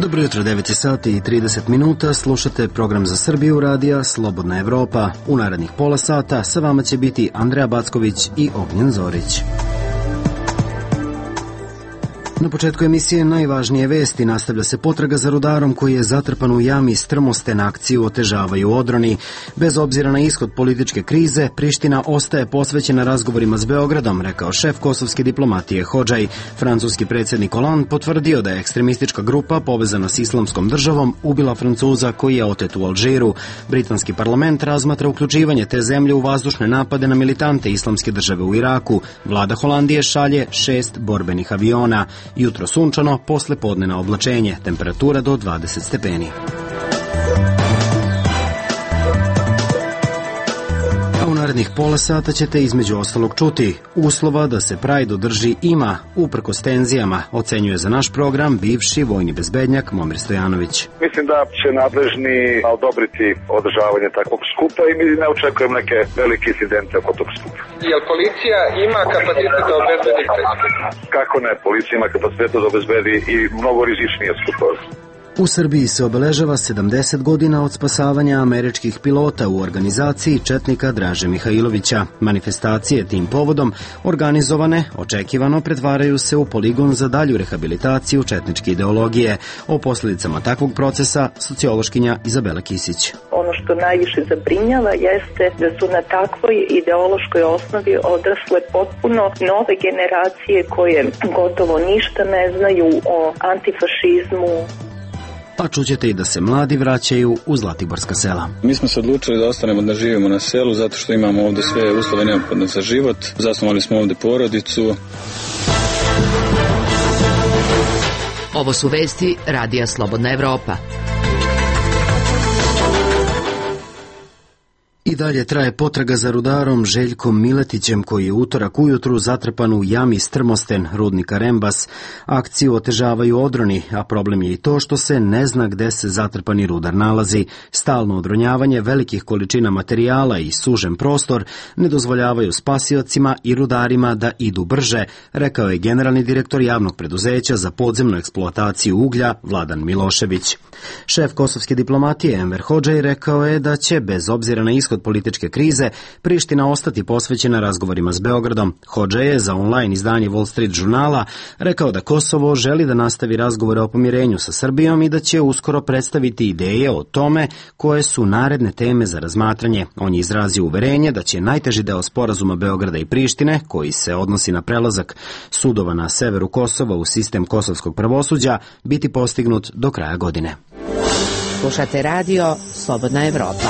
Dobro jutro, 9 sati i 30 minuta, slušate program za Srbiju radija Slobodna Evropa. U narednih pola sata sa vama će biti Andreja Backović i Ognjen Zorić. Na početku emisije najvažnije vesti. Nastavlja se potraga za rudarom koji je zatrpan u jami Strmosten. Akciju otežavaju odroni. Bez obzira na ishod političke krize, Priština ostaje posvećena razgovorima s Beogradom, rekao šef kosovske diplomatije Hodžaj. Francuski predsjednik Hollande potvrdio da je ekstremistička grupa povezana s Islamskom državom ubila Francuza koji je otet u Alžiru. Britanski parlament razmatra uključivanje te zemlje u vazdušne napade na militante Islamske države u Iraku. Vlada Holandije šalje 6 borbenih aviona. Jutro sunčano, posle podnena oblačenje, temperatura do 20 stepeni. A u narednih pola sata ćete između ostalog čuti uslova da se Pride održi ima, uprkos tenzijama, ocenjuje za naš program bivši vojni bezbednjak Momir Stojanović. Mislim da će nadležni odobriti održavanje takvog skupa i mi ne očekujem neke velike incidente oko tog skupa. Jel policija ima kapacitet da obezbedi? Kako ne, policija ima kapacitet da obezbedi i mnogo rizičnije skupove. U Srbiji se obeležava 70 godina od spasavanja američkih pilota u organizaciji četnika Draže Mihajlovića. Manifestacije tim povodom organizovane, očekivano pretvaraju se u poligon za dalju rehabilitaciju četničke ideologije. O posljedicama takvog procesa sociološkinja Izabela Kisić. Ono što najviše zabrinjava jeste da su na takvoj ideološkoj osnovi odrasle potpuno nove generacije koje gotovo ništa ne znaju o antifašizmu. A čućete i da se mladi vraćaju u Zlatiborska sela. Mi smo se odlučili da ostanemo da živimo na selu zato što imamo ovdje sve uslove neophodne za život. Zasnovali smo ovdje porodicu. Ovo su vesti Radija Slobodna Evropa. I dalje traje potraga za rudarom Željkom Miletićem koji je utorak ujutru zatrpan u jami Strmosten, rudnika Rembas. Akciju otežavaju odroni, a problem je i to što se ne zna gde se zatrpani rudar nalazi. Stalno odronjavanje velikih količina materijala i sužen prostor ne dozvoljavaju spasiocima i rudarima da idu brže, rekao je generalni direktor javnog preduzeća za podzemnu eksploataciju uglja Vladan Milošević. Šef kosovske diplomatije Enver Hodžaj rekao je da će, bez obzira na ishod političke krize, Priština ostati posvećena razgovorima s Beogradom. Hodžaj je za online izdanje Wall Street žurnala rekao da Kosovo želi da nastavi razgovore o pomirenju sa Srbijom i da će uskoro predstaviti ideje o tome koje su naredne teme za razmatranje. On je izrazio uverenje da će najteži deo sporazuma Beograda i Prištine, koji se odnosi na prelazak sudova na severu Kosova u sistem kosovskog pravosuđa, biti postignut do kraja godine. Slušate radio Slobodna Evropa.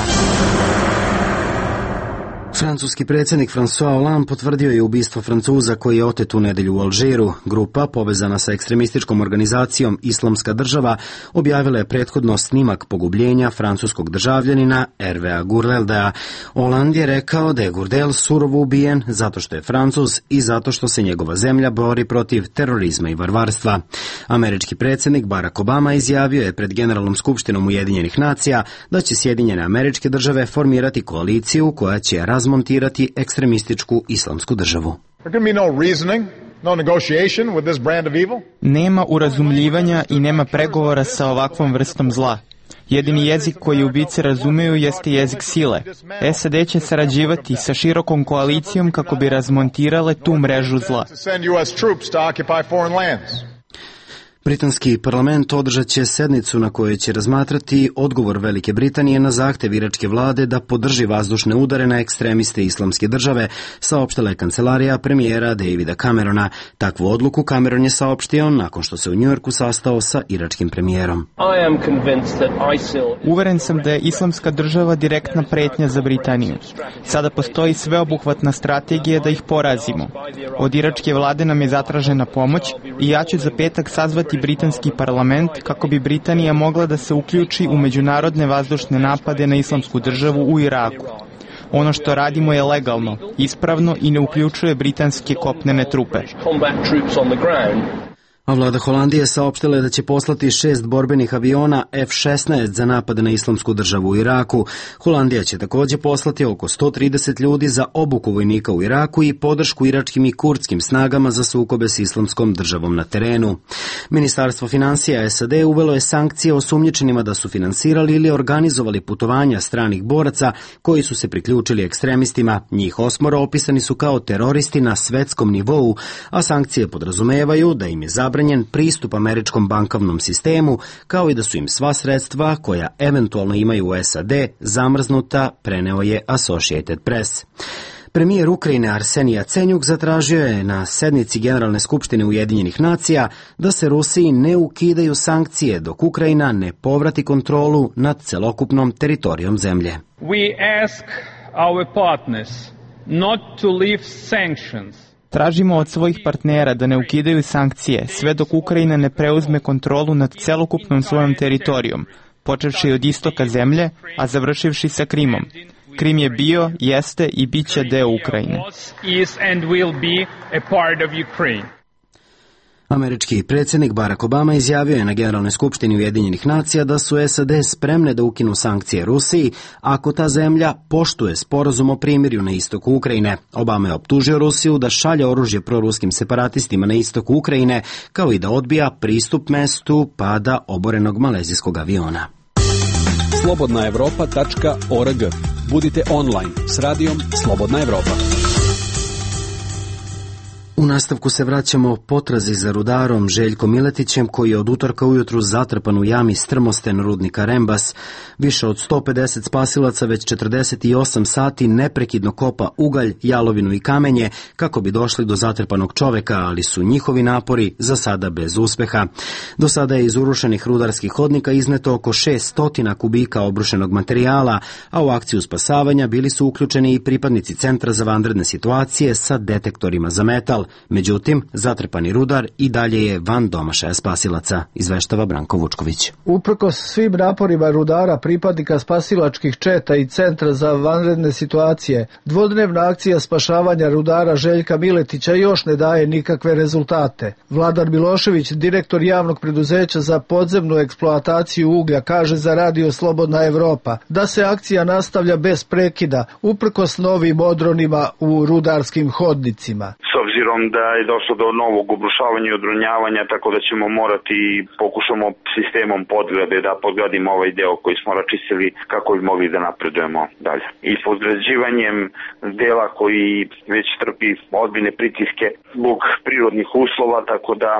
Francuski predsjednik François Hollande potvrdio je ubistvo Francuza koji je otet u nedelju u Alžiru. Grupa, povezana sa ekstremističkom organizacijom Islamska država, objavila je prethodno snimak pogubljenja francuskog državljanina Hervéa Gurdeldea. Hollande je rekao da je Gurdel surovo ubijen zato što je Francuz i zato što se njegova zemlja bori protiv terorizma i varvarstva. Američki predsjednik Barack Obama izjavio je pred Generalnom skupštinom Ujedinjenih nacija da će Sjedinjene Američke Države formirati koaliciju koja će razmontirati ekstremističku islamsku državu. Nema urazumljivanja i nema pregovora sa ovakvom vrstom zla. Jedini jezik koji ubice razumeju jeste jezik sile. SAD će sarađivati sa širokom koalicijom kako bi razmontirale tu mrežu zla. Britanski parlament održat će sednicu na kojoj će razmatrati odgovor Velike Britanije na zahtev iračke vlade da podrži vazdušne udare na ekstremiste Islamske države, saopštila je kancelarija premijera Davida Camerona. Takvu odluku Cameron je saopštio nakon što se u Njujorku sastao sa iračkim premijerom. Uveren sam da je Islamska država direktna pretnja za Britaniju. Sada postoji sveobuhvatna strategija da ih porazimo. Od iračke vlade nam je zatražena pomoć i ja ću za petak sazvati britanski parlament kako bi Britanija mogla da se uključi u međunarodne vazdušne napade na Islamsku državu u Iraku. Ono što radimo je legalno, ispravno i ne uključuje britanske kopnene trupe. A vlada Holandije saopštila je da će poslati 6 borbenih aviona F-16 za napad na Islamsku državu u Iraku. Holandija će također poslati oko 130 ljudi za obuku vojnika u Iraku i podršku iračkim i kurdskim snagama za sukobe s Islamskom državom na terenu. Ministarstvo financija SAD uvelo je sankcije osumnjičenima da su finansirali ili organizovali putovanja stranih boraca koji su se priključili ekstremistima. Njih 8 opisani su kao teroristi na svetskom nivou, a sankcije podrazumevaju da im je zabranjen pristup američkom bankovnom sistemu, kao i da su im sva sredstva koja eventualno imaju u SAD zamrznuta, preneo je Associated Press. Premijer Ukrajine Arsenij Jacenjuk zatražio je na sednici Generalne skupštine Ujedinjenih nacija da se Rusiji ne ukidaju sankcije dok Ukrajina ne povrati kontrolu nad celokupnom teritorijom zemlje. We ask our partners not to lift sanctions. Tražimo od svojih partnera da ne ukidaju sankcije sve dok Ukrajina ne preuzme kontrolu nad celokupnom svojom teritorijom, počevši od istoka zemlje, a završivši sa Krimom. Krim je bio, jeste i bit će deo Ukrajine. Američki predsjednik Barack Obama izjavio je na Generalnoj skupštini Ujedinjenih nacija da su SAD spremne da ukinu sankcije Rusiji ako ta zemlja poštuje sporazum o primirju na istoku Ukrajine. Obama je optužio Rusiju da šalje oružje proruskim separatistima na istoku Ukrajine, kao i da odbija pristup mestu pada oborenog malezijskog aviona. slobodnaevropa.org. Budite online s radijom Slobodna Evropa. U nastavku se vraćamo potrazi za rudarom Željkom Miletićem, koji je od utorka ujutru zatrpan u jami Strmosten rudnika Rembas. Više od 150 spasilaca već 48 sati neprekidno kopa ugalj, jalovinu i kamenje kako bi došli do zatrpanog čoveka, ali su njihovi napori za sada bez uspeha. Do sada je iz urušenih rudarskih hodnika izneto oko 600 kubika obrušenog materijala, a u akciju spasavanja bili su uključeni i pripadnici Centra za vanredne situacije sa detektorima za metal. Međutim, zatrpani rudar i dalje je van domašaja spasilaca, izveštava Branko Vučković. Uprkos svim naporima rudara, pripadnika spasilačkih četa i Centra za vanredne situacije, dvodnevna akcija spašavanja rudara Željka Miletića još ne daje nikakve rezultate. Vladar Milošević, direktor javnog preduzeća za podzemnu eksploataciju uglja, kaže za Radio Slobodna Evropa da se akcija nastavlja bez prekida, uprkos novim odronima u rudarskim hodnicima. Obzirom da je došlo do novog obrušavanja i odronjavanja, tako da ćemo morati pokušamo sistemom podgrade da podgradimo ovaj deo koji smo račistili kako bi mogli da napredujemo dalje. I podgrađivanjem dela koji već trpi ozbiljne pritiske zbog prirodnih uslova, tako da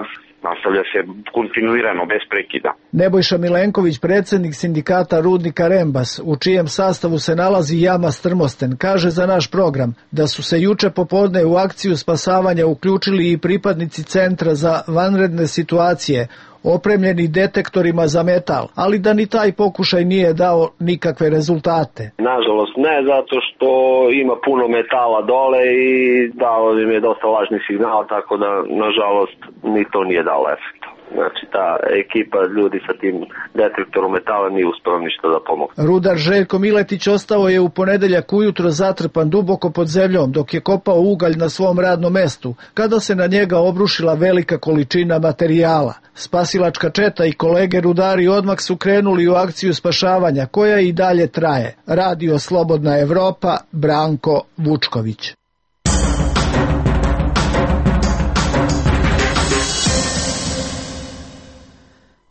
nastavlja se kontinuirano, bez prekida. Nebojša Milenković, predsjednik sindikata rudnika Rembas, u čijem sastavu se nalazi jama Strmosten, kaže za naš program da su se juče popodne u akciju spasavanja uključili i pripadnici Centra za vanredne situacije, opremljeni detektorima za metal, ali da ni taj pokušaj nije dao nikakve rezultate. Nažalost ne, zato što ima puno metala dole i dao im je dosta lažnih signala, tako da nažalost ni to nije dalo efekta. Znači ta ekipa ljudi sa tim detektorom metala nije uspela ništa da pomogne. Rudar Željko Miletić ostao je u ponedeljak ujutro zatrpan duboko pod zemljom dok je kopao ugalj na svom radnom mestu, kada se na njega obrušila velika količina materijala. Spasilačka četa i kolege rudari odmah su krenuli u akciju spašavanja, koja i dalje traje. Radio Slobodna Evropa, Branko Vučković.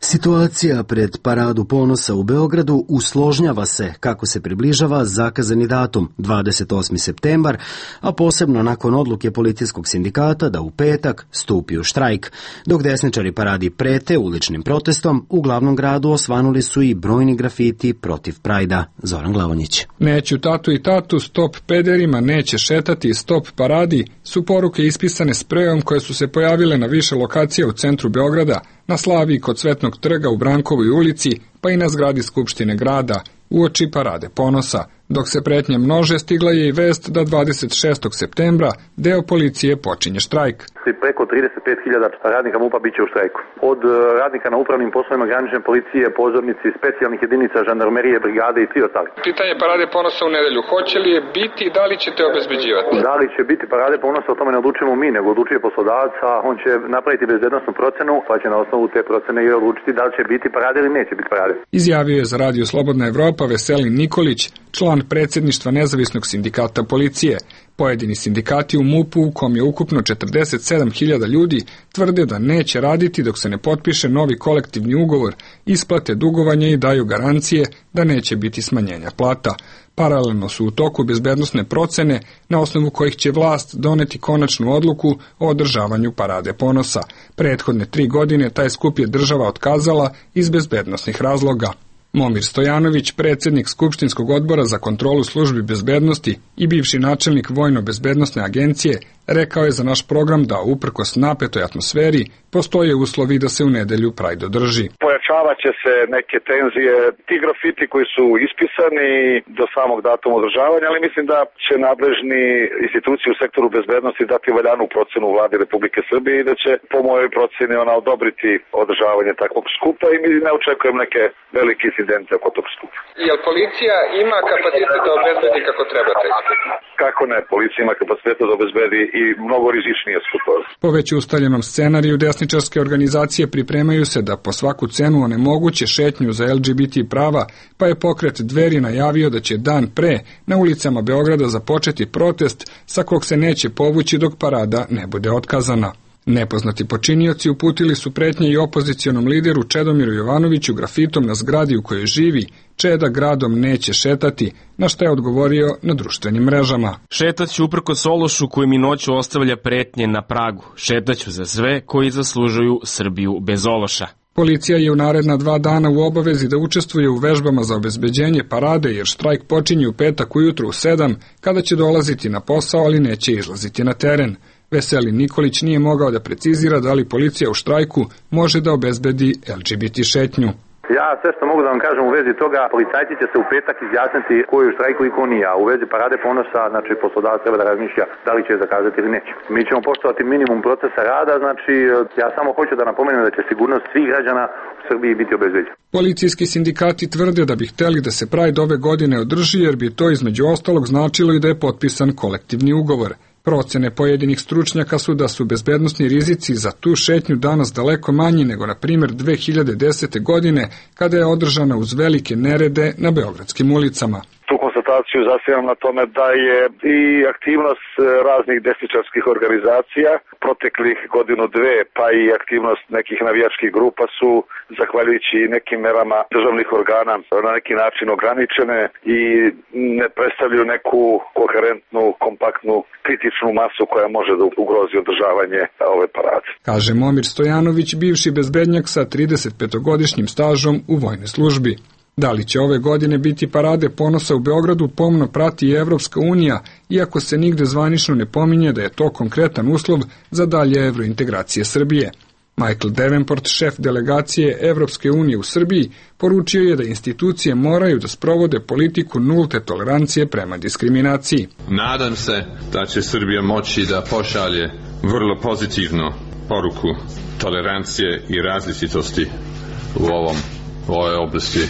Situacija pred Paradu ponosa u Beogradu usložnjava se kako se približava zakazani datum 28. septembar, a posebno nakon odluke policijskog sindikata da u petak stupi u štrajk. Dok desničari paradi prete uličnim protestom, u glavnom gradu osvanuli su i brojni grafiti protiv Prajda. Zoran Glavonjić. Neću tatu i tatu, stop pederima, neće šetati, stop paradi su poruke ispisane sprejom koje su se pojavile na više lokacija u centru Beograda, na Slaviji kod Cvetnog trga u Brankovoj ulici, pa i na zgradi Skupštine grada, uoči Parade ponosa, Dok se pretnje množe, stigla je i vest da 26. septembra deo policije počinje štrajk. Preko 35.000 radnika MUP-a biće u štrajku. Od radnika na upravnim poslovima granične policije, pozornici, specijalnih jedinica, žandarmerije, brigade i svi ostali. Pitanje parade ponosa u nedelju. Hoće li je biti i da li ćete obezbeđivati? Da li će biti parade ponosa, o tome ne odlučujemo mi, nego odlučuje poslodavac, a on će napraviti bezbednosnu procenu, pa će na osnovu te procene i odlučiti da li će biti parade ili neće biti parade. Izjavio je za Radio Slobodna Evropa Veselin Nikolić, član predsjedništva Nezavisnog sindikata policije. Pojedini sindikati u MUP-u, u kom je ukupno 47.000 ljudi, tvrde da neće raditi dok se ne potpiše novi kolektivni ugovor, isplate dugovanja i daju garancije da neće biti smanjenja plata. Paralelno su u toku bezbednosne procene na osnovu kojih će vlast doneti konačnu odluku o održavanju parade ponosa. Prethodne 3 godine taj skup je država otkazala iz bezbednosnih razloga. Momir Stojanović, predsjednik Skupštinskog odbora za kontrolu službi bezbednosti i bivši načelnik Vojno-bezbednosne agencije, rekao je za naš program da uprkos napetoj atmosferi postoje uslovi da se u nedelju Pride održi. Pojačavat će se neke tenzije, ti grafiti koji su ispisani do samog datuma održavanja, ali mislim da će nadležni institucije u sektoru bezbednosti dati valjanu procenu vladi Republike Srbije i da će po mojoj proceni ona odobriti održavanje takvog skupa i mi ne očekujem neke velike incidente oko tog skupa. Jel policija ima kapacitet da obezbedi kako trebate? Kako ne, policija ima kapacitet da obezbedi i mnogo rizičnije skupove. Po već ustaljenom scenariju desničarske organizacije pripremaju se da po svaku cenu onemoguće šetnju za LGBT prava, pa je pokret Dveri najavio da će dan pre na ulicama Beograda započeti protest sa kog se neće povući dok parada ne bude otkazana. Nepoznati počinioci uputili su pretnje i opozicionom lideru Čedomiru Jovanoviću grafitom na zgradi u kojoj živi: Čeda gradom neće šetati, na što je odgovorio na društvenim mrežama. Šetaću uprkos ološu koji mi noću ostavlja pretnje na pragu. Šetaću za sve koji zaslužuju Srbiju bez ološa. Policija je u naredna 2 dana u obavezi da učestvuje u vežbama za obezbeđenje parade, jer štrajk počinje u petak ujutru u 7, kada će dolaziti na posao, ali neće izlaziti na teren. Veselin Nikolić nije mogao da precizira da li policija u štrajku može da obezbedi LGBT šetnju. Ja sve što mogu da vam kažem u vezi toga, policajci će se u petak izjasniti ko je u štrajku i ko nije, a u vezi parade ponosa, znači poslodavac treba da razmišlja da li će je zakazati ili neće. Mi ćemo poštovati minimum procesa rada, znači ja samo hoću da napomenem da će sigurnost svih građana u Srbiji biti obezbeđena. Policijski sindikati tvrde da bi hteli da se Pride ove godine održi, jer bi to između ostalog značilo i da je potpisan kolektivni ugovor. Procene pojedinih stručnjaka su da su bezbednosni rizici za tu šetnju danas daleko manji nego, na primjer, 2010. godine, kada je održana uz velike nerede na beogradskim ulicama. Tu konstataciju zasnivam na tome da je i aktivnost raznih desničarskih organizacija proteklih 1-2 godine, pa i aktivnost nekih navijačkih grupa su, zahvaljujući nekim merama državnih organa, na neki način ograničene i ne predstavljaju neku koherentnu, kompaktnu, kritičnu masu koja može da ugrozi održavanje ove parade. Kaže Momir Stojanović, bivši bezbednjak sa 35-godišnjim stažom u vojnoj službi. Da li će ove godine biti parade ponosa u Beogradu, pomno prati i Evropska unija, iako se nigde zvanično ne pominje da je to konkretan uslov za dalje evrointegracije Srbije. Michael Davenport, šef delegacije Evropske unije u Srbiji, poručio je da institucije moraju da sprovode politiku nulte tolerancije prema diskriminaciji. Nadam se da će Srbija moći da pošalje vrlo pozitivnu poruku tolerancije i različitosti u ovoj oblasti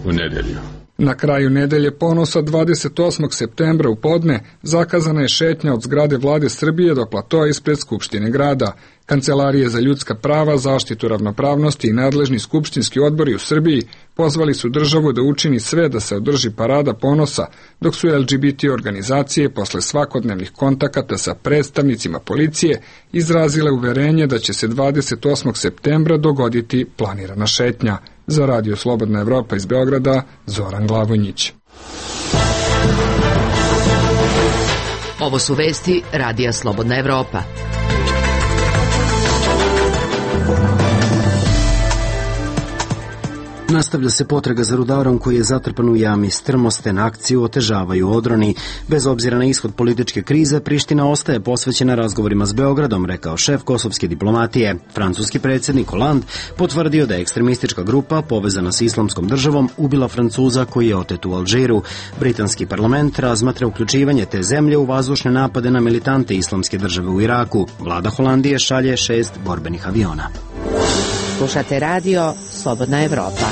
u nedelju. Na kraju nedelje ponosa 28. septembra u podne zakazana je šetnja od zgrade Vlade Srbije do platoa ispred Skupštine grada. Kancelarije za ljudska prava, zaštitu ravnopravnosti i nadležni skupštinski odbori u Srbiji pozvali su državu da učini sve da se održi parada ponosa, dok su LGBT organizacije posle svakodnevnih kontakata sa predstavnicima policije izrazile uverenje da će se 28. septembra dogoditi planirana šetnja. Za Radio Slobodna Evropa iz Beograda, Zoran Glavonjić. Ovo su vesti Radija Slobodna Evropa. Nastavlja se potraga za rudarom koji je zatrpan u jami Strmosten. Akciju otežavaju odroni. Bez obzira na ishod političke krize, Priština ostaje posvećena razgovorima s Beogradom, rekao šef kosovske diplomatije. Francuski predsjednik Hollande potvrdio da je ekstremistička grupa povezana s Islamskom državom ubila Francuza koji je otet u Alžiru. Britanski parlament razmatra uključivanje te zemlje u vazdušne napade na militante Islamske države u Iraku. Vlada Holandije šalje 6 borbenih aviona. Slušate radio Slobodna Evropa.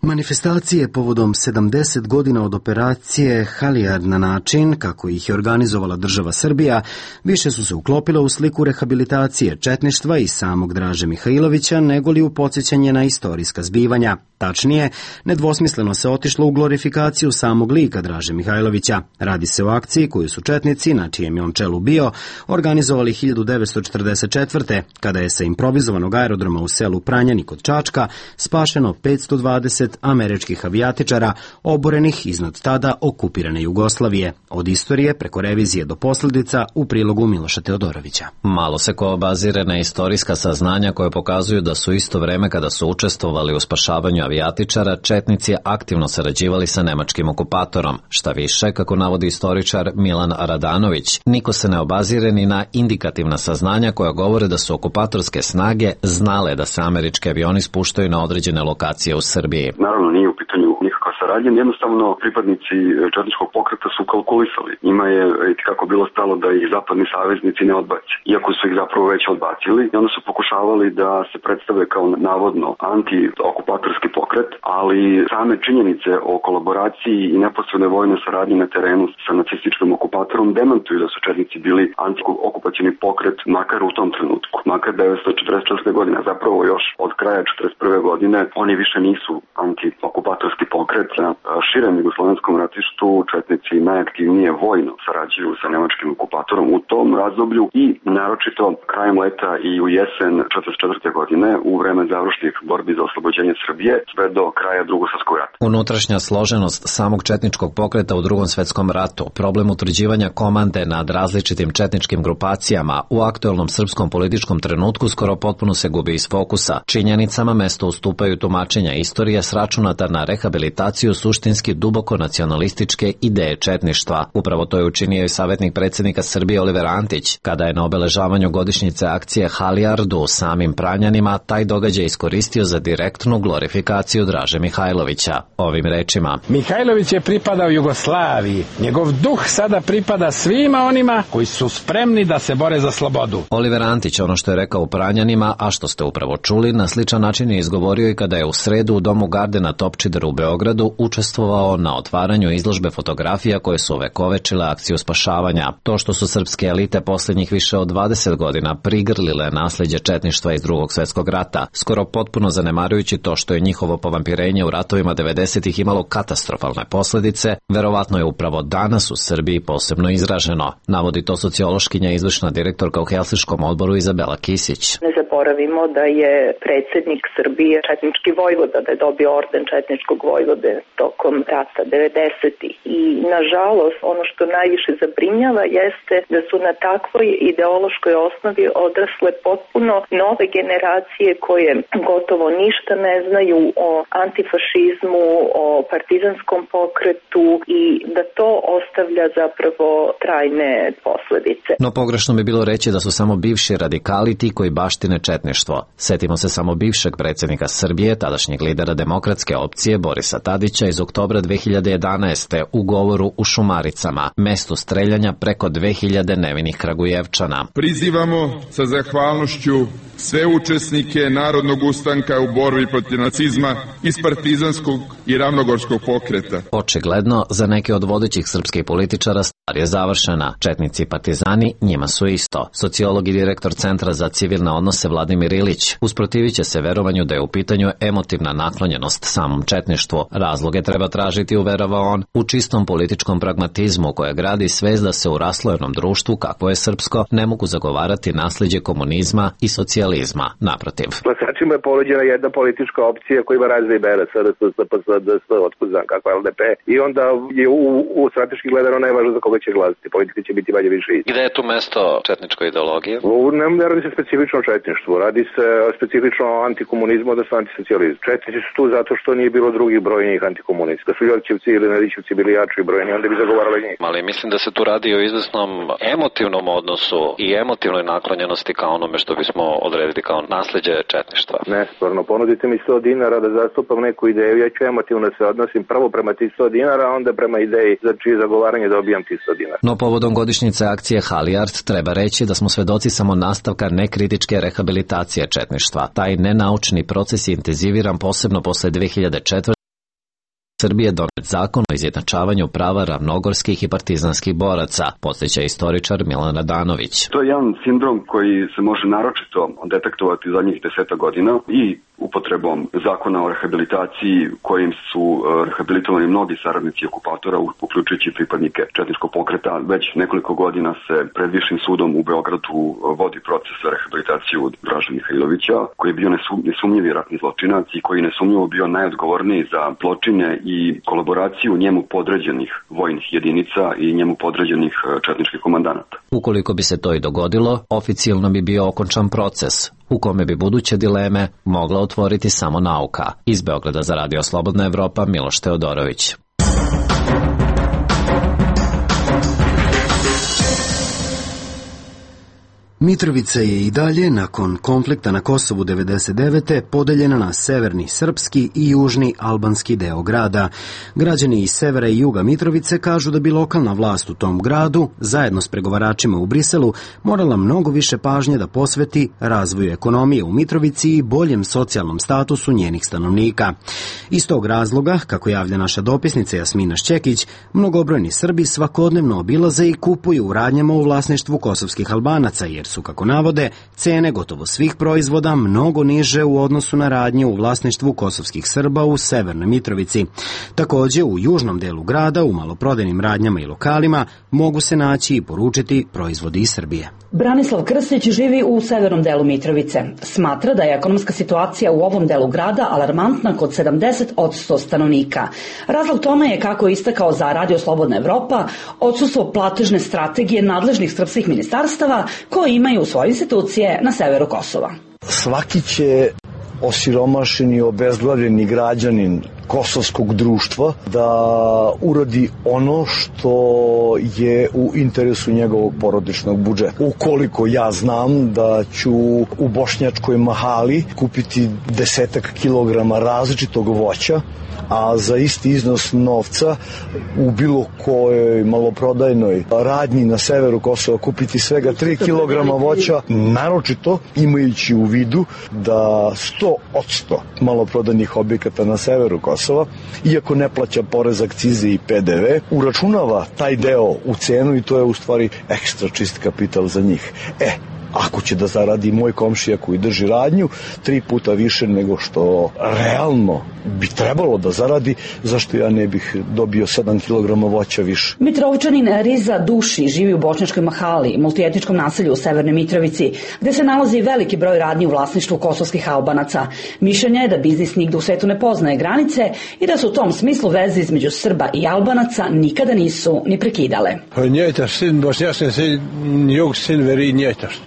Manifestacije povodom 70 godina od operacije Halijar na način kako ih je organizovala država Srbija više su se uklopile u sliku rehabilitacije četništva i samog Draže Mihajlovića nego li u podsjećanje na istorijska zbivanja. Tačnije, nedvosmisleno se otišlo u glorifikaciju samog lika Draže Mihajlovića. Radi se o akciji koju su četnici, na čijem je on čelu bio, organizovali 1944. kada je sa improvizovanog aerodroma u selu Pranjani kod Čačka spašeno 520 američkih avijatičara oborenih iznad tada okupirane Jugoslavije. Od istorije preko revizije do posljedica u prilogu Miloša Teodorovića. Malo se ko obazire na istorijska saznanja koje pokazuju da su isto vreme kada su učestvovali u spašavanju avijatičara, četnici aktivno sarađivali sa nemačkim okupatorom. Šta više, kako navodi istoričar Milan Radanović, niko se ne obazire ni na indikativna saznanja koja govore da su okupatorske snage znale da se američki avioni spuštaju na određene lokacije u Srbiji. Naravno, nije u pitanju nikakva saradnja, jednostavno pripadnici četničkog pokreta su kalkulisali. Njima je kako bilo stalo da ih zapadni saveznici ne odbace, iako su ih zapravo već odbacili i onda su pokušavali da se predstave kao navodno anti-okupatorski pokret, ali same činjenice o kolaboraciji i neposrednoj vojnoj saradnji na terenu sa nacističkim okupatorom demantuju da su četnici bili anti-okupacioni pokret makar u tom trenutku, makar 1944. godine, zapravo još od kraja 1941. godine oni više nisu anti-okupatorski pokret. Na širem jugoslovenskom ratištu četnici najaktivnije vojno sarađuju sa nemačkim okupatorom u tom razdoblju i naročito krajem leta i u jesen 1944. godine u vreme završnih borbi za oslobođenje Srbije sve do kraja Drugog svjetskog rata. Unutrašnja složenost samog četničkog pokreta u Drugom svjetskom ratu, problem utvrđivanja komande nad različitim četničkim grupacijama u aktuelnom srpskom političkom trenutku skoro potpuno se gubi iz fokusa. Činjenicama mesto ustupaju tumačenja istorije sračunata na rehabilitaciju suštinski duboko nacionalističke ideje četništva. Upravo to je učinio i savjetnik predsjednika Srbije Oliver Antić, kada je na obeležavanju godišnjice akcije Halijardu u samim Pranjanima taj događaj iskoristio za direktnu glorifikaciju Draže Mihajlovića. Ovim rečima: Mihajlović je pripadao Jugoslaviji. Njegov duh sada pripada svima onima koji su spremni da se bore za slobodu. Oliver Antić ono što je rekao u Pranjanima, a što ste upravo čuli, na sličan način je izgovorio i kada je u sredu u domu Garde na Topčideru u Beogradu učestvovao na otvaranju izložbe fotografija koje su ovekovečile akciju spašavanja. To što su srpske elite posljednjih više od 20 godina prigrlile nasljeđe četništva iz Drugog svjetskog rata, skoro potpuno zanemarujući to što je njihovo povampirenje u ratovima 90-ih imalo katastrofalne posljedice, verovatno je upravo danas u Srbiji posebno izraženo. Navodi to sociološkinja i izvršna direktorka u Helsinškom odboru Izabela Kisić. Ne zaboravimo da je predsjednik Srbije četnički vojvoda, da je dobio orden četničkog vojvode tokom rata 90-ih. I nažalost ono što najviše zabrinjava jeste da su na takvoj ideološkoj osnovi odrasle potpuno nove generacije koje gotovo ništa ne znaju o antifašizmu, o partizanskom pokretu i da to ostavlja zapravo trajne posljedice. No pogrešno bi bilo reći da su samo bivši radikali ti koji baštine četništvo. Setimo se samo bivšeg predsjednika Srbije, tadašnjeg lidera demokratske opcije Borisa Tadića iz oktobra 2011. u govoru u Šumaricama, mestu streljanja preko 2000 nevinih Kragujevčana. Prizivamo sa zahvalnošću sve učesnike narodnog ustanka u borbi protiv nacizma iz partizanskog i ravnogorskog pokreta. Očigledno, za neke od vodećih srpskih političara stvar je završena. Četnici i partizani njima su isto. Sociolog i direktor Centra za civilne odnose Vladimir Ilić usprotivit će se verovanju da je u pitanju emotivna naklonjenost samom četništvu. Razloge treba tražiti, uverava on, u čistom političkom pragmatizmu koje gradi svest da se u raslojenom društvu, kakvo je srpsko, ne mogu zagovarati nasljeđe komunizma i socijalizma socijalizma. Naprotiv. Glasačima je ponuđena jedna politička opcija koja ima razne imena, SRS, SPS, DS, otkud znam kako LDP, i onda je u strateški gledano najvažno za koga će glasiti. Politika će biti manje više isti. Gde je tu mesto četničkoj ideologije? Ne radi se specifično o četništvu, radi se specifično o antikomunizmu, odnosno antisocijalizmu. Četnici su tu zato što nije bilo drugih brojnijih antikomunista. Da su Ljotićevci ili Nedićevci bili jači i brojni, onda bi zagovarali njih. Ali mislim da se tu radi o izvesnom emotivnom odnosu i emotivnoj naklonjenosti kao onome što bismo odredili kao nasleđe četništva. Ne, stvarno, ponudite mi 100 dinara da zastupam neku ideju, ja ću emotivno se odnosim prvo prema tih 100 dinara, a onda prema ideji za čije zagovaranje dobijam tih 100 dinara. No povodom godišnjice akcije Halijard treba reći da smo svedoci samo nastavka nekritičke rehabilitacije četništva. Taj nenaučni proces je intenziviran posebno posle 2004. Srbije donet zakon o izjednačavanju prava ravnogorskih i partizanskih boraca, podsjeća istoričar Milan Radanović. To je jedan sindrom koji se može naročito detektovati zadnjih 10 godina i upotrebom zakona o rehabilitaciji kojim su rehabilitovani mnogi saradnici okupatora, uključujući pripadnike četničkog pokreta. Već nekoliko godina se pred Višim sudom u Beogradu vodi proces rehabilitacije od Draže Mihajlovića, koji je bio nesumnjivi ratni zločinac i koji nesumnjivo bio najodgovorniji za zločine i kolaboraciju njemu podređenih vojnih jedinica i njemu podređenih četničkih komandanata. Ukoliko bi se to i dogodilo, oficijalno bi bio okončan proces, u kome bi buduće dileme mogla otvoriti samo nauka. Iz Beograda za Radio Slobodna Evropa, Miloš Teodorović. Mitrovica je i dalje, nakon konflikta na Kosovu 1999. podeljena na severni srpski i južni albanski deo grada. Građani iz severa i juga Mitrovice kažu da bi lokalna vlast u tom gradu, zajedno s pregovaračima u Briselu, morala mnogo više pažnje da posveti razvoju ekonomije u Mitrovici i boljem socijalnom statusu njenih stanovnika. Iz tog razloga, kako javlja naša dopisnica Jasmina Šćekić, mnogobrojni Srbi svakodnevno obilaze i kupuju u radnjama u vlasništvu kosovskih Albanaca, jer su, kako navode, cene gotovo svih proizvoda mnogo niže u odnosu na radnje u vlasništvu kosovskih Srba u severnoj Mitrovici. Takođe, u južnom delu grada, u maloprodajnim radnjama i lokalima, mogu se naći i poručiti proizvodi iz Srbije. Branislav Krstić živi u severnom delu Mitrovice. Smatra da je ekonomska situacija u ovom delu grada alarmantna kod 70% stanovnika. Razlog tome je, kako je istakao za Radio Slobodna Evropa, odsustvo platežne strategije nadležnih srpskih ministarstava koji imaju svoje institucije na severu Kosova. Svaki će osiromašeni, obezglavljeni građanin kosovskog društva da uradi ono što je u interesu njegovog porodičnog budžeta. Ukoliko ja znam da ću u bošnjačkoj mahali kupiti 10 kilograma različitog voća, a za isti iznos novca u bilo kojoj maloprodajnoj radnji na severu Kosova kupiti svega 3 kilograma voća, naročito imajući u vidu da 100% maloprodajnih objekata na severu Kosova, iako ne plaća porez, akcize i PDV, uračunava taj deo u cenu i to je u stvari ekstra čist kapital za njih. Ako će da zaradi moj komšija koji drži radnju 3 puta više nego što realno bi trebalo da zaradi, zašto ja ne bih dobio 7 kg voća više? Mitrovčanin Riza Duši živi u bošnjačkoj mahali, multietničkom naselju u severnoj Mitrovici, gde se nalazi veliki broj radnji u vlasništvu kosovskih Albanaca. Mišljenje je da biznis nigde u svetu ne poznaje granice i da su u tom smislu veze između Srba i Albanaca nikada nisu ni prekidale.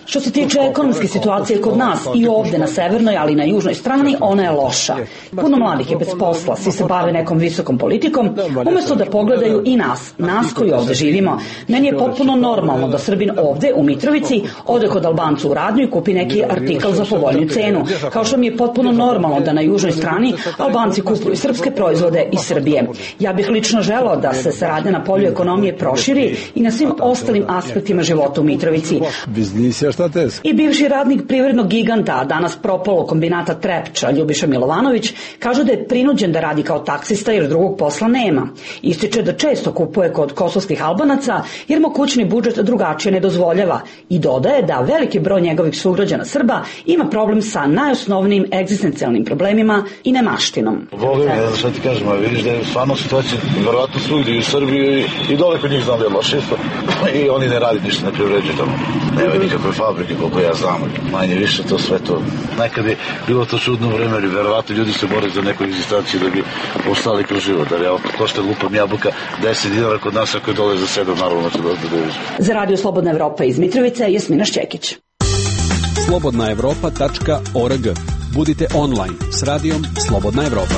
Što se tiče ekonomske situacije kod nas i ovde na severnoj, ali i na južnoj strani, ona je loša. Puno mladih je bez posla, svi se bave nekom visokom politikom, umesto da pogledaju i nas koji ovde živimo. Meni je potpuno normalno da Srbin ovde u Mitrovici ode kod Albancu u radnju i kupi neki artikal za povoljniju cenu. Kao što mi je potpuno normalno da na južnoj strani Albanci kupuju srpske proizvode iz Srbije. Ja bih lično želeo da se saradnja na polju ekonomije proširi i na svim ostalim aspektima života u Mitrovici. I bivši radnik privrednog giganta, a danas propalo kombinata Trepča, Ljubiša Milovanović, kaže da je prinuđen da radi kao taksista jer drugog posla nema. Ističe da često kupuje kod kosovskih Albanaca jer mu kućni budžet drugačije ne dozvoljava i dodaje da veliki broj njegovih sugrađana Srba ima problem sa najosnovnijim egzistencijalnim problemima i nemaštinom. Volim, šta ti kažem, vidiš da je stvarno situacija verovatno svugdje u Srbiji i dole kod njih znam da je loše i oni ne radi ništa, ne privređuju tamo. Nema nikakve fabrike, koliko ja znam, manje više to sve to. Nekad je bilo to čudno vreme, jer verovatno ljudi se bore za neku egzistaciju da bi ostali kroz život. Jer ja to što lupam jabuka 10 dinara kod nas, ako je dole za 7, naravno će da dođe. Za Radio Slobodna Evropa iz Mitrovice, Jasmina Šćekić. slobodnaevropa.org. Budite online s radijom Slobodna Evropa.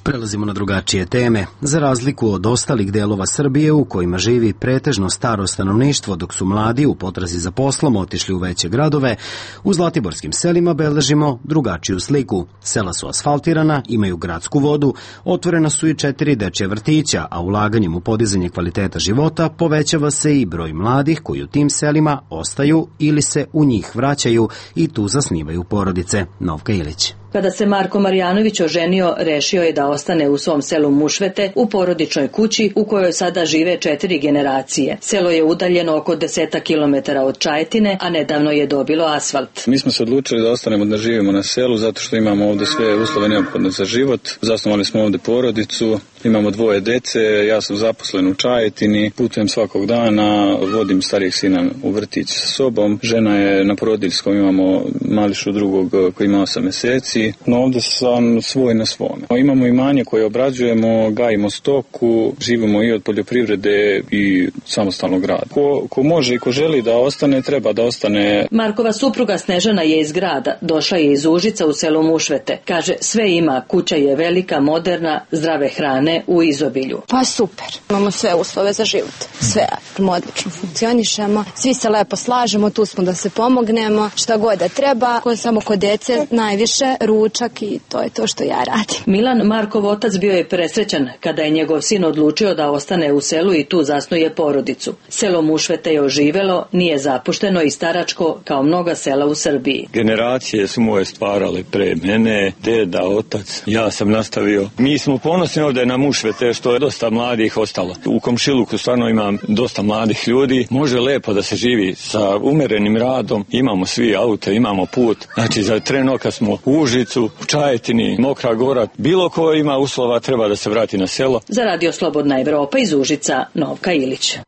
Prelazimo na drugačije teme. Za razliku od ostalih delova Srbije u kojima živi pretežno staro stanovništvo, dok su mladi u potrazi za poslom otišli u veće gradove, u zlatiborskim selima beležimo drugačiju sliku. Sela su asfaltirana, imaju gradsku vodu, otvorena su i 4 dečje vrtića, a ulaganjem u podizanje kvaliteta života povećava se i broj mladih koji u tim selima ostaju ili se u njih vraćaju i tu zasnivaju porodice. Novka Ilić. Kada se Marko Marjanović oženio, rešio je da ostane u svom selu Mušvete, u porodičnoj kući u kojoj sada žive 4 generacije. Selo je udaljeno oko 10 kilometara od Čajetine, a nedavno je dobilo asfalt. Mi smo se odlučili da ostanemo da živimo na selu zato što imamo ovde sve uslove neophodne za život. Zasnovali smo ovde porodicu, imamo 2 dece, ja sam zaposlen u Čajetini, putujem svakog dana, vodim starijeg sina u vrtić sa sobom. Žena je na porodiljskom, imamo mališu drugog koji ima 8 meseci. No ovde sam svoj na svome. Imamo imanje koje obrađujemo, gajimo stoku, živimo i od poljoprivrede i samostalnog rada. Ko može i ko želi da ostane, treba da ostane. Markova supruga Snežana je iz grada, došla je iz Užica u selo Mušvete. Kaže, sve ima, kuća je velika, moderna, zdrave hrane u izobilju. Pa super, imamo sve uslove za život, sve odlično funkcionišemo, svi se lepo slažemo, tu smo da se pomognemo, šta god da treba, samo kod dece najviše ručak i to je to što ja radim. Milan, Markov otac, bio je presrećan kada je njegov sin odlučio da ostane u selu i tu zasnuje porodicu. Selo Mušvete je oživelo, nije zapušteno i staračko kao mnoga sela u Srbiji. Generacije su moje stvarale pre mene, deda, otac, ja sam nastavio. Mi smo ponosni ovde na Mušvete što je dosta mladih ostalo. U komšiluku stvarno imam dosta mladih ljudi, može lepo da se živi sa umerenim radom, imamo svi aute, imamo put, znači za trenoka smo u Užicu, u Čajetini, Mokra Gora, bilo ko ima uslova treba da se vrati na selo. Za Radio Slobodna Evropa iz Užica, Novka Ilić.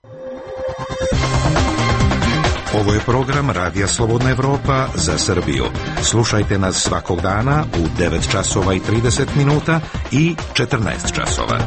Ovo je program Radija Slobodna Evropa za Srbiju. Slušajte nas svakog dana u 9 časova i 30 minuta i 14 časova.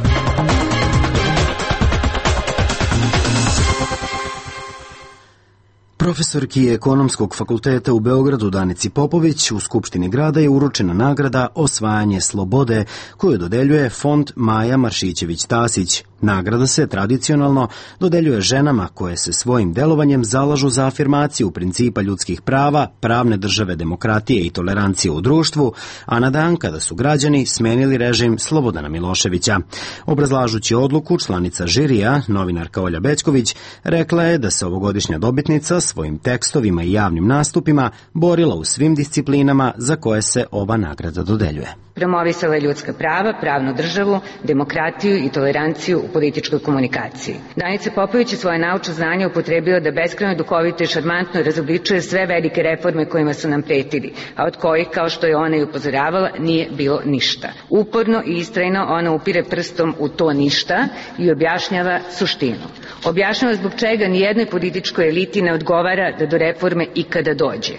Profesorki Ekonomskog fakulteta u Beogradu Danici Popović u Skupštini grada je uručena nagrada Osvajanje slobode koju dodeljuje Fond Maja Maršićević-Tasić. Nagrada se tradicionalno dodeljuje ženama koje se svojim delovanjem zalažu za afirmaciju principa ljudskih prava, pravne države, demokratije i tolerancije u društvu, a na dan kada su građani smenili režim Slobodana Miloševića. Obrazlažući odluku, članica žirija, novinarka Olja Bećković, rekla je da se ovogodišnja dobitnica svojim tekstovima i javnim nastupima borila u svim disciplinama za koje se ova nagrada dodeljuje. Promovisala je ljudska prava, pravnu državu, demokratiju i toleranciju u političkoj komunikaciji. Danica Popović je svoje naučno znanje upotrebila da beskrajno duhovito i šarmantno razobličuje sve velike reforme kojima su nam pretili, a od kojih, kao što je ona i upozoravala, nije bilo ništa. Uporno i istrajno ona upire prstom u to ništa i objašnjava suštinu. Objašnjava zbog čega nijednoj političkoj eliti ne odgovara da do reforme ikada dođe.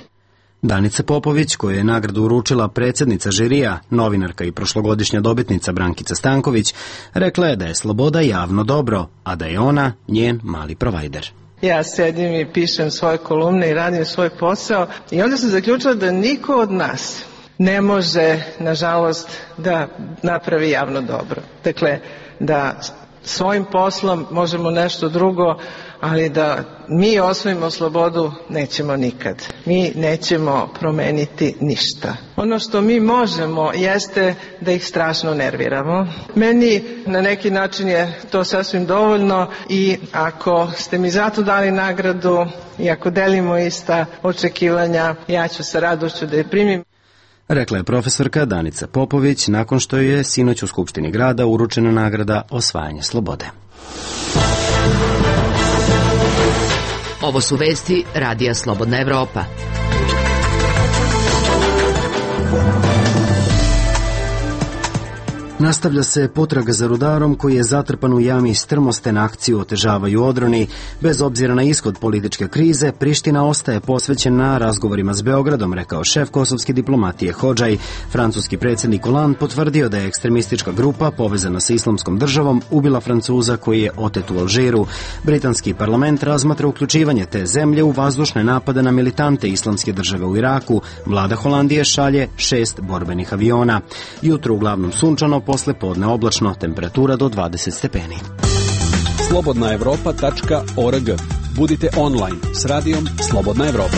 Danica Popović, koju je nagradu uručila predsjednica žirija, novinarka i prošlogodišnja dobitnica Brankica Stanković, rekla je da je sloboda javno dobro, a da je ona njen mali provajder. Ja sedim i pišem svoje kolumne i radim svoj posao i onda sam zaključila da niko od nas ne može, nažalost, da napravi javno dobro. Dakle, da svojim poslom možemo nešto drugo, ali da mi osvojimo slobodu nećemo nikad. Mi nećemo promeniti ništa. Ono što mi možemo jeste da ih strašno nerviramo. Meni na neki način je to sasvim dovoljno i ako ste mi zato dali nagradu i ako delimo ista očekivanja, ja ću sa radošću da je primim. Rekla je profesorka Danica Popović nakon što je sinoć u Skupštini grada uručena nagrada Osvajanje slobode. Ovo su vesti Radija Slobodna Evropa. Nastavlja se potraga za rudarom koji je zatrpan u jami Strmosten. Akciju otežavaju odroni. Bez obzira na ishod političke krize, Priština ostaje posvećena razgovorima s Beogradom, rekao šef kosovske diplomatije Hodžaj. Francuski predsjednik Hollande potvrdio da je ekstremistička grupa povezana sa Islamskom državom ubila Francuza koji je otet u Alžiru. Britanski parlament razmatra uključivanje te zemlje u vazdušne napade na militante Islamske države u Iraku. Vlada Holandije šalje 6 borbenih aviona. Jutro uglavnom sunčano, posle podne oblačno, temperatura do 20 stepeni. slobodnaevropa.org. Budite online s radijom Slobodna Evropa.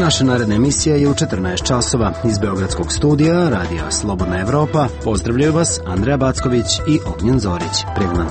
Naša naredna emisija je u 14 časova. Iz Beogradskog studija Radija Slobodna Evropa pozdravljaju vas Andreja Backović i Ognjen Zorić. Privna.